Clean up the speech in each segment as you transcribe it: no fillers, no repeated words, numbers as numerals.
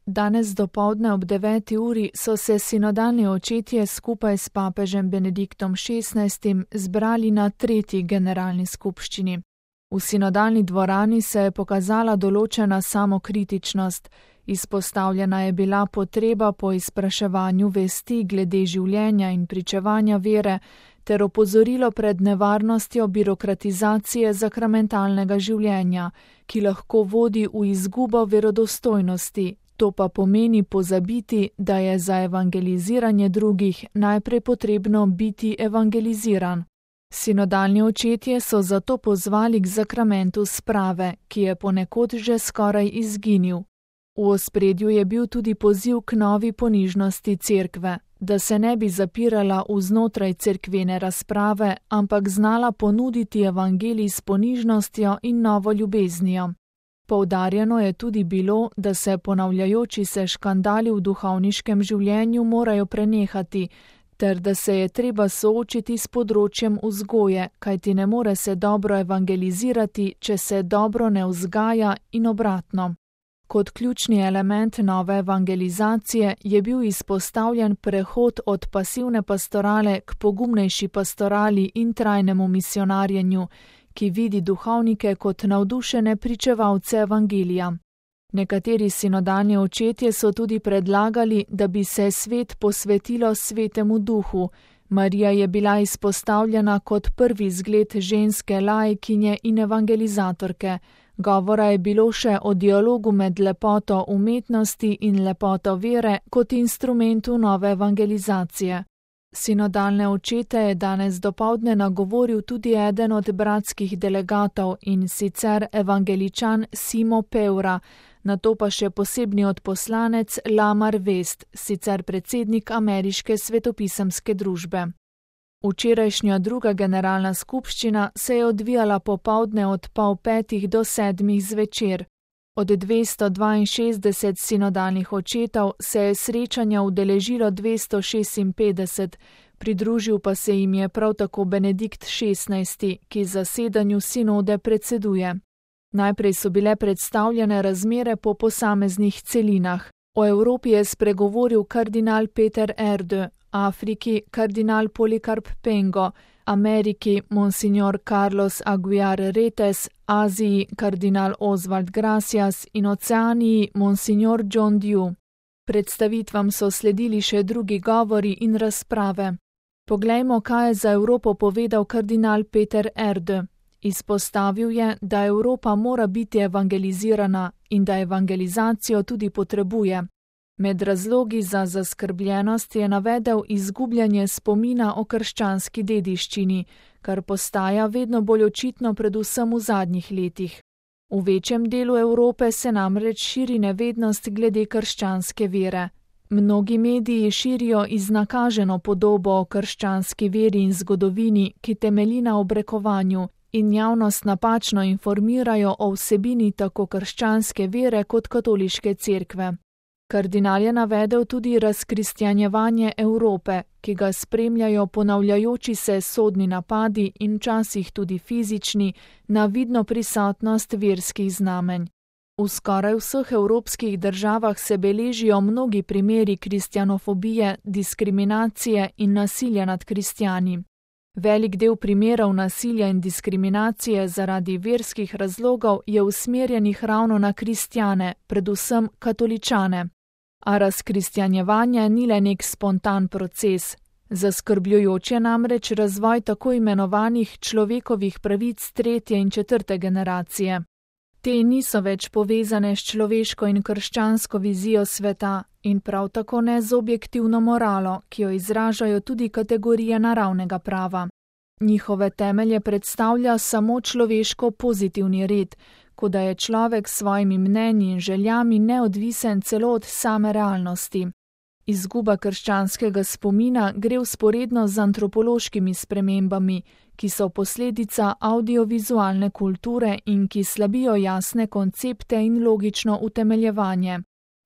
Danes dopoldne ob 9. uri so se sinodalni očetje skupaj s papežem Benediktom XVI zbrali na 3. generalni skupščini. V sinodalni dvorani se je pokazala določena samokritičnost, izpostavljena je bila potreba po izpraševanju vesti glede življenja in pričevanja vere ter opozorilo pred nevarnostjo birokratizacije sakramentalnega življenja, ki lahko vodi v izgubo verodostojnosti. To pa pomeni pozabiti, da je za evangeliziranje drugih najprej potrebno biti evangeliziran. Sinodalni očetje so zato pozvali k zakramentu sprave, ki je ponekod že skoraj izginil. V ospredju je bil tudi poziv k novi ponižnosti cerkve, da se ne bi zapirala vznotraj cerkvene razprave, ampak znala ponuditi evangelij s ponižnostjo in novo ljubeznijo. Poudarjeno je tudi bilo, da se ponavljajoči se škandali v duhovniškem življenju morajo prenehati, ter da se je treba soočiti s področjem vzgoje, kajti ne more se dobro evangelizirati, če se dobro ne vzgaja in obratno. Kot ključni element nove evangelizacije je bil izpostavljen prehod od pasivne pastorale k pogumnejši pastorali in trajnemu misionarjenju, ki vidi duhovnike kot navdušene pričevalce evangelija. Nekateri sinodalni očetje so tudi predlagali, da bi se svet posvetilo svetemu duhu. Marija je bila izpostavljena kot prvi zgled ženske laikinje in evangelizatorke. Govora je bilo še o dialogu med lepoto umetnosti in lepoto vere kot instrumentu nove evangelizacije. Sinodalne očete je danes dopoldne nagovoril tudi eden od bratskih delegatov, in sicer evangeličan Simo Peura, nato pa še posebni odposlanec Lamar West, sicer predsednik Ameriške svetopisemske družbe. Včerajšnja 2. generalna skupščina se je odvijala popoldne od 4:30 do 7:00 zvečer. Od 262 sinodalnih očetov se je srečanja udeležilo 256, pridružil pa se jim je prav tako Benedikt XVI, ki zasedanju sinode predseduje. Najprej so bile predstavljene razmere po posameznih celinah. O Evropi je spregovoril kardinal Peter Erdő, Afriki kardinal Polikarp Pengo, Ameriki monsignor Carlos Aguiar Retes, Aziji kardinal Oswald Gracias in Oceaniji monsignor John Dew. Predstavitvam so sledili še drugi govori in razprave. Poglejmo, kaj je za Evropo povedal kardinal Peter Erdő. Izpostavil je, da Evropa mora biti evangelizirana in da evangelizacijo tudi potrebuje. Med razlogi za zaskrbljenost je navedel izgubljanje spomina o krščanski dediščini, kar postaja vedno bolj očitno predvsem v zadnjih letih. V večjem delu Evrope se namreč širi nevednost glede krščanske vere. Mnogi mediji širijo iznakaženo podobo o krščanski veri in zgodovini, ki temelji na obrekovanju, in javnost napačno informirajo o vsebini tako krščanske vere kot katoliške cerkve. Kardinal je navedel tudi razkristjanjevanje Evrope, ki ga spremljajo ponavljajoči se sodni napadi in včasih tudi fizični na vidno prisotnost verskih znamenj. V skoraj vseh evropskih državah se beležijo mnogi primeri kristjanofobije, diskriminacije in nasilja nad kristjani. Velik del primerov nasilja in diskriminacije zaradi verskih razlogov je usmerjenih ravno na kristjane, predvsem katoličane. A razkristjanjevanje ni le nek spontan proces. Zaskrbljujoč je namreč razvoj tako imenovanih človekovih pravic 3. in 4. generacije. Te niso več povezane s človeško in krščansko vizijo sveta in prav tako ne z objektivno moralo, ki jo izražajo tudi kategorije naravnega prava. Njihove temelje predstavlja samo človeško pozitivni red, kot da je človek s svojimi mnenji in željami neodvisen celo od same realnosti. Izguba krščanskega spomina gre vzporedno z antropološkimi spremembami, ki so posledica audiovizualne kulture in ki slabijo jasne koncepte in logično utemeljevanje.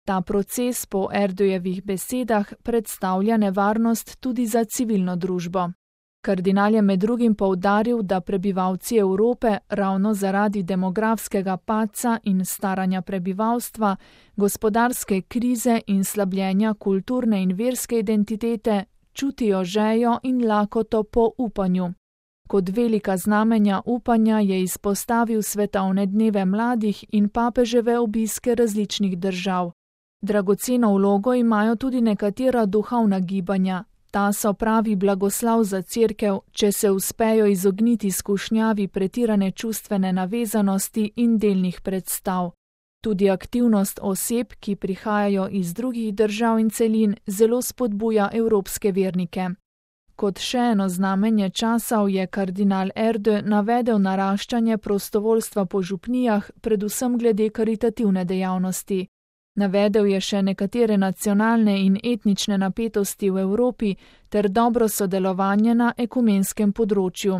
Ta proces po Erdőjevih besedah predstavlja nevarnost tudi za civilno družbo. Kardinal je med drugim poudaril, da prebivalci Evrope ravno zaradi demografskega padca in staranja prebivalstva, gospodarske krize in slabljenja kulturne in verske identitete čutijo žejo in lakoto po upanju. Kot velika znamenja upanja je izpostavil svetovne dneve mladih in papeževe obiske različnih držav. Dragoceno vlogo imajo tudi nekatera duhovna gibanja. Ta so pravi blagoslav za Cerkev, če se uspejo izogniti skušnjavi pretirane čustvene navezanosti in delnih predstav. Tudi aktivnost oseb, ki prihajajo iz drugih držav in celin, zelo spodbuja evropske vernike. Kot še eno znamenje časov je kardinal Erde navedel naraščanje prostovoljstva po župnijah, predvsem glede karitativne dejavnosti. Navedel je še nekatere nacionalne in etnične napetosti v Evropi ter dobro sodelovanje na ekumenskem področju.